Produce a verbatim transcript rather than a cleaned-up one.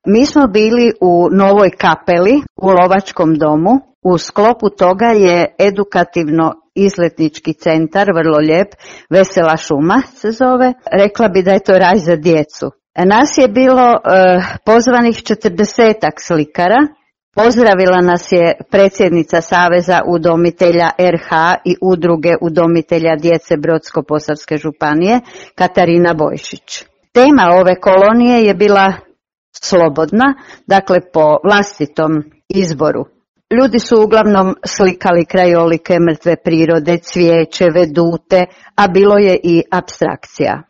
Mi smo bili u Novoj Kapeli, u Lovačkom domu. U sklopu toga je edukativno izletnički centar, vrlo lijep, Vesela šuma se zove. Rekla bi da je to raj za djecu. Nas je bilo eh, pozvanih četrdesetak slikara. Pozdravila nas je predsjednica Saveza udomitelja er ha i udruge udomitelja djece Brodsko-posavske županije, Katarina Bojšić. Tema ove kolonije je bila slobodna, dakle po vlastitom izboru. Ljudi su uglavnom slikali krajolike, mrtve prirode, cvijeće, vedute, a bilo je i apstrakcija.